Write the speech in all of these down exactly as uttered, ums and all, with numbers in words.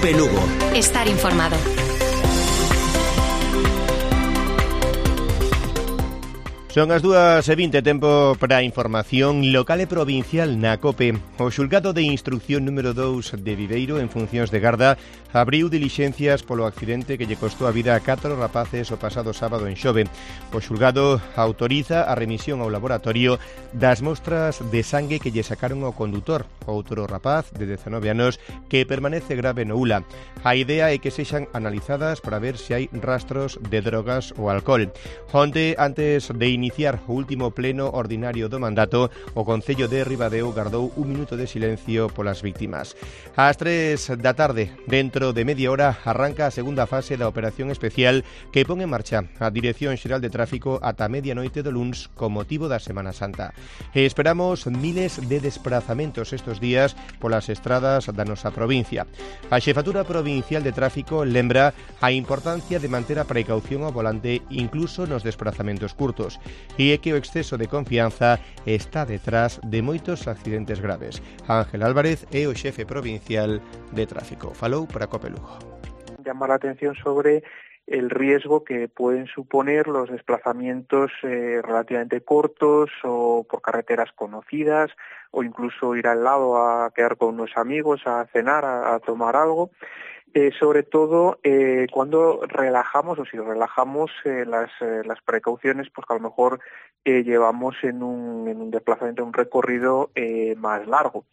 COPE Lugo. Estar informado. Son as dúas e vinte, tempo para a información local e provincial na COPE. O xulgado de instrucción número dous de Viveiro, en funcións de garda, abriu dilixencias polo accidente que lle costou a vida a catro rapaces o pasado sábado en Xove. O xulgado autoriza a remisión ao laboratorio das mostras de sangue que lle sacaron ao condutor, outro rapaz de dezanove anos que permanece grave no U L A. A idea é que sexan analizadas para ver se hai rastros de drogas ou alcohol. Onte, antes de iniciar o último pleno ordinario do mandato, o Concello de Ribadeo gardou un minuto de silencio polas víctimas. Ás tres da tarde, dentro de media hora, arranca a segunda fase da operación especial que pon en marcha a Dirección Xeral de Tráfico ata medianoite do luns con motivo da Semana Santa. E esperamos miles de desplazamentos estes días polas estradas da nosa provincia. A Xefatura Provincial de Tráfico lembra a importancia de manter a precaución ao volante incluso nos desplazamentos curtos. E é que o exceso de confianza está detrás de moitos accidentes graves. Ángel Álvarez é o xefe provincial de tráfico. Falou para COPE Lugo. Llamar la atención sobre el riesgo que pueden suponer los desplazamientos eh, relativamente cortos o por carreteras conocidas, o incluso ir al lado a quedar con unos amigos, a cenar, a, a tomar algo. Eh, sobre todo eh, cuando relajamos o si relajamos eh, las, eh, las precauciones, pues que a lo mejor eh, llevamos en un, en un desplazamiento, un recorrido eh, más largo.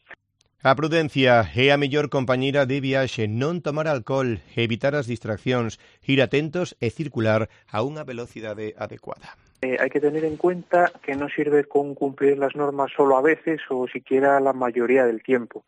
A prudencia é a mellor compañeira de viaxe, non tomar alcohol, evitar as distraccións, ir atentos e circular a unha velocidade adecuada. Eh, hay que tener en cuenta que no sirve con cumplir las normas solo a veces o siquiera la mayoría del tiempo.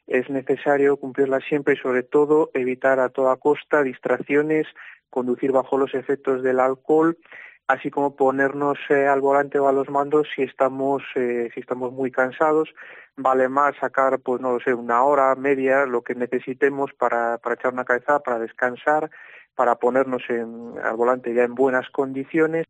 Es necesario cumplirlas siempre y sobre todo evitar a toda costa distracciones, conducir bajo los efectos del alcohol, así como ponernos eh, al volante o a los mandos si estamos eh, si estamos muy cansados. Vale más sacar, pues no lo sé, una hora, media, lo que necesitemos para, para echar una cabeza, para descansar, para ponernos en, al volante ya en buenas condiciones.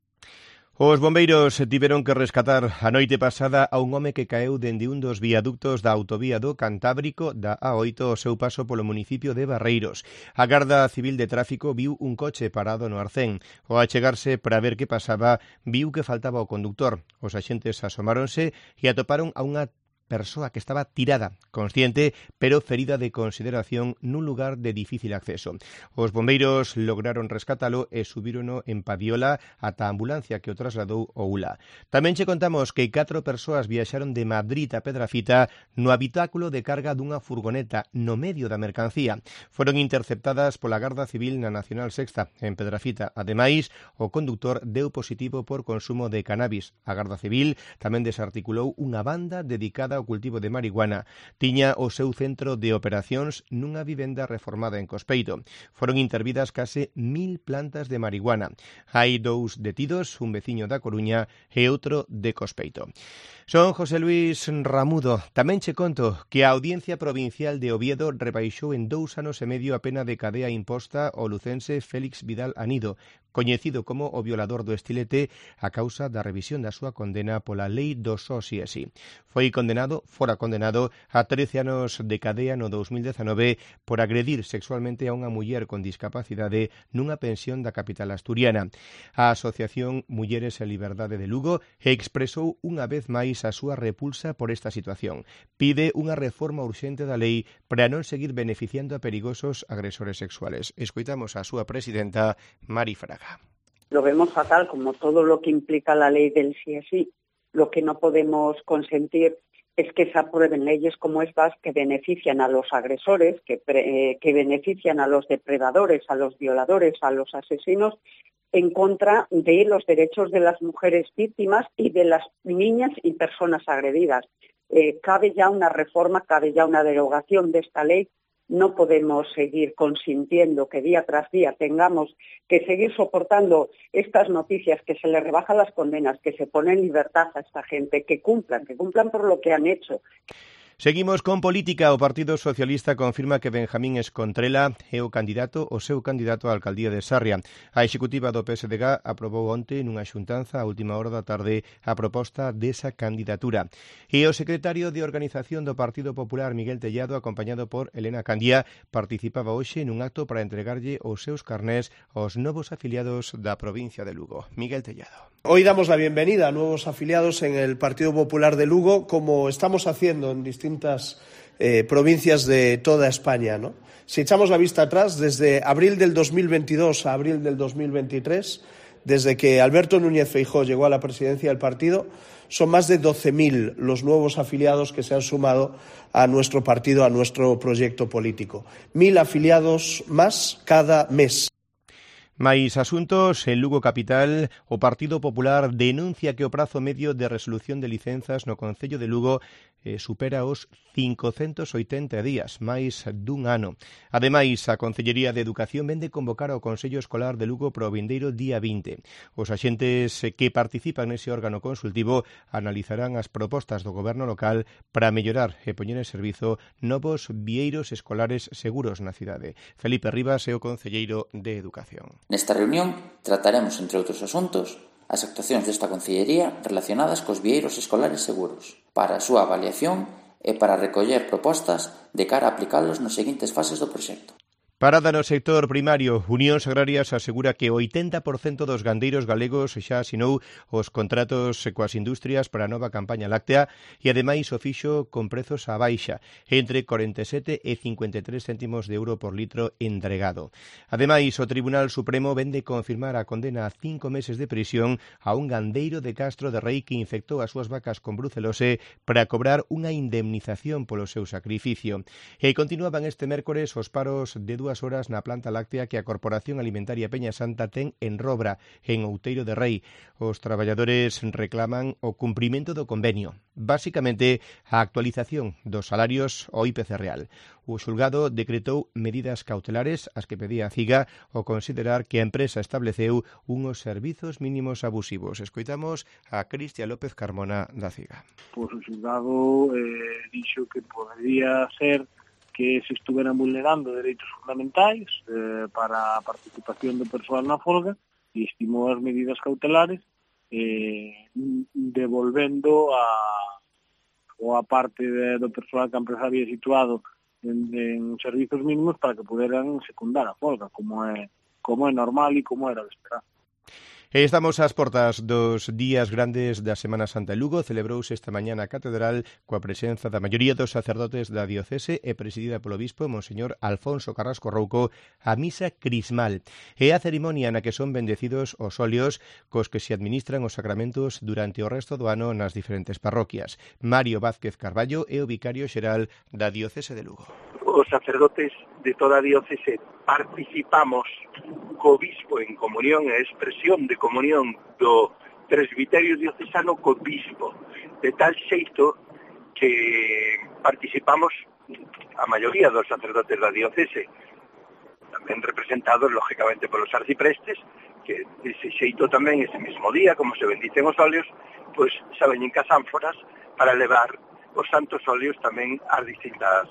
Os bombeiros tiveron que rescatar a noite pasada a un home que caeu dende un dos viaductos da autovía do Cantábrico da A oito ao seu paso polo municipio de Barreiros. A Garda Civil de Tráfico viu un coche parado no arcén. Ao achegarse para ver que pasaba, viu que faltaba o conductor. Os axentes asomáronse e atoparon a unha persoa que estaba tirada, consciente, pero ferida de consideración nun lugar de difícil acceso. Os bombeiros lograron rescatalo e subírono en Padiola ata a ambulancia que o trasladou ao U L A. Tamén che contamos que catro persoas viaxaron de Madrid a Pedrafita no habitáculo de carga dunha furgoneta no medio da mercancía. Foron interceptadas pola Garda Civil na Nacional Sexta en Pedrafita. Ademais, o conductor deu positivo por consumo de cannabis. A Garda Civil tamén desarticulou unha banda dedicada ao cultivo de marihuana. Tiña o seu centro de operacións nunha vivenda reformada en Cospeito. Foron intervidas case mil plantas de marihuana. Hai dous detidos, un veciño da Coruña e outro de Cospeito. Son José Luis Ramudo. Tamén che conto que a Audiencia Provincial de Oviedo rebaixou en dous anos e medio a pena de cadea imposta ao lucense Félix Vidal Anido, coñecido como o violador do estilete, a causa da revisión da súa condena pola lei do só si e si. Foi condenado, fora condenado, a trece anos de cadea no dous mil dezanove por agredir sexualmente a unha muller con discapacidade nunha pensión da capital asturiana. A Asociación Mulleres e Liberdade de Lugo expresou unha vez máis a súa repulsa por esta situación. Pide unha reforma urxente da lei para non seguir beneficiando a perigosos agresores sexuales. Escoitamos a súa presidenta, Mari Fraga. Lo vemos fatal, como todo lo que implica la ley del sí es sí. Lo que no podemos consentir es que se aprueben leyes como estas que benefician a los agresores, que, pre, eh, que benefician a los depredadores, a los violadores, a los asesinos, en contra de los derechos de las mujeres víctimas y de las niñas y personas agredidas. Eh, cabe ya una reforma, cabe ya una derogación de esta ley. No podemos seguir consintiendo que día tras día tengamos que seguir soportando estas noticias, que se les rebajan las condenas, que se pone en libertad a esta gente, que cumplan, que cumplan por lo que han hecho. Seguimos con política. O Partido Socialista confirma que Benjamín Escontrela é o candidato, o seu candidato á alcaldía de Sarria. A executiva do P S D G aprobou onte nunha xuntanza a última hora da tarde a proposta desa candidatura. E o secretario de Organización do Partido Popular, Miguel Tellado, acompañado por Elena Candía, participaba hoxe nun acto para entregarlle os seus carnés aos novos afiliados da provincia de Lugo. Miguel Tellado. Hoy damos la bienvenida a nuevos afiliados en el Partido Popular de Lugo, como estamos haciendo en distintas eh, provincias de toda España, ¿no? Si echamos la vista atrás, desde abril del dos mil veintidós a abril del dos mil veintitrés, desde que Alberto Núñez Feijóo llegó a la presidencia del partido, son más de doce mil los nuevos afiliados que se han sumado a nuestro partido, a nuestro proyecto político. Mil afiliados más cada mes. Mais asuntos, en Lugo capital, o Partido Popular denuncia que o prazo medio de resolución de licenzas no Concello de Lugo eh, supera os cincocentos oitenta días, máis dun ano. Ademais, a Concellería de Educación vende convocar ao Consello Escolar de Lugo para o vindeiro día vinte. Os axentes que participan nese órgano consultivo analizarán as propostas do Goberno local para mellorar e poñer en servizo novos vieiros escolares seguros na cidade. Felipe Rivas é o Concelleiro de Educación. Nesta reunión trataremos, entre outros asuntos, as actuacións desta Concellería relacionadas cos vieiros escolares seguros, para a súa avaliación e para recoller propostas de cara a aplicalos nas seguintes fases do proxecto. Parada no sector primario. Unións Agrarias asegura que o oitenta por cento dos gandeiros galegos xa asinou os contratos coas industrias para a nova campaña láctea e ademais o fixo con prezos á baixa, entre corenta e sete e cincuenta e tres céntimos de euro por litro entregado. Ademais, o Tribunal Supremo vende confirmar a condena a cinco meses de prisión a un gandeiro de Castro de Rei que infectou as súas vacas con brucelose para cobrar unha indemnización polo seu sacrificio. E continuaban este mércores os paros de dúas horas na planta láctea que a Corporación Alimentaria Peña Santa ten en Robra, en Outeiro de Rei. Os traballadores reclaman o cumprimento do convenio, basicamente a actualización dos salarios ao I P C real. O xulgado decretou medidas cautelares as que pedía a CIGA ao considerar que a empresa estableceu unhos servizos mínimos abusivos. Escoitamos a Cristian López Carmona da CIGA. Pois o xulgado eh, dixo que podría ser que se estuveran vulnerando dereitos fundamentais eh, para a participación do persoal na folga e estimou as medidas cautelares eh, devolvendo a, ou a parte de, do persoal que a empresa había situado en, en servizos mínimos para que puderan secundar a folga, como é, como é normal e como era de esperar. Estamos ás portas dos días grandes da Semana Santa. Lugo celebrouse esta mañá na Catedral coa presenza da maioría dos sacerdotes da diocese e presidida polo bispo Monseñor Alfonso Carrasco Rouco a misa crismal. É a cerimonia na que son bendecidos os óleos cos que se administran os sacramentos durante o resto do ano nas diferentes parroquias. Mario Vázquez Carballo é o vicario xeral da diocese de Lugo. Os sacerdotes de toda a diocese participamos co bispo en comunión e expresión de comunión do presbiterio diocesano co bispo, de tal xeito que participamos a maioría dos sacerdotes da diocese, tamén representados lógicamente polos arciprestes, que ese xeito tamén ese mesmo día, como se bendicen os óleos, pois xa veñen cas ánforas para levar os santos óleos tamén ás distintas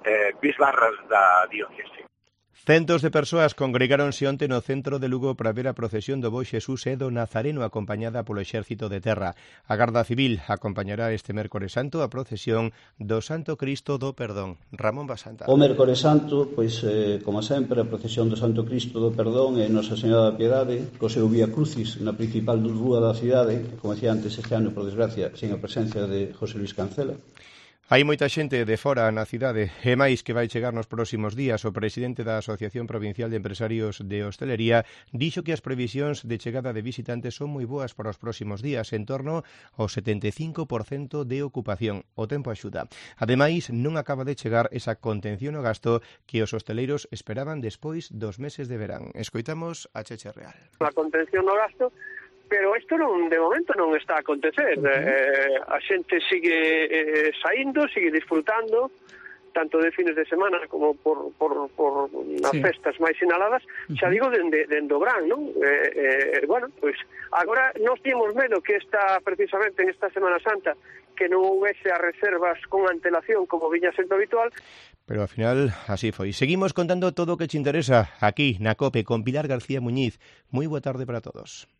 eh, bisbarras da diocese. Centos de persoas congregáronse onte no centro de Lugo para ver a procesión do Bo Xesús e do Nazareno acompañada polo Exército de Terra. A Garda Civil acompañará este mércores santo a procesión do Santo Cristo do Perdón. Ramón Basanta. O mércores santo, pois, eh, como sempre, a procesión do Santo Cristo do Perdón e Nosa Señora da Piedade, co seu Vía Crucis na principal rúa da cidade, como decía antes, este ano, por desgracia, sin a presencia de José Luis Cancela. Hai moita xente de fora na cidade e máis que vai chegar nos próximos días. O presidente da Asociación Provincial de Empresarios de Hostelería dixo que as previsións de chegada de visitantes son moi boas para os próximos días, en torno ao setenta e cinco por cento de ocupación. O tempo axuda. Ademais, non acaba de chegar esa contención no gasto que os hosteleiros esperaban despois dos meses de verán. Escoitamos a Cheche Real. A contención no gasto, pero isto non, de momento non está a acontecer. Uh-huh. eh, a xente sigue eh, saindo, sigue disfrutando, tanto de fines de semana como por, por, por nas sí. festas máis sinaladas, uh-huh. xa digo, dende, dende o verán, non? Eh, eh, bueno, pois, agora nos temos medo que esta, precisamente en esta Semana Santa, que non houvese as reservas con antelación como viña sendo habitual. Pero ao final así foi. Seguimos contando todo o que te interesa aquí na COPE con Pilar García Muñiz. Moi boa tarde para todos.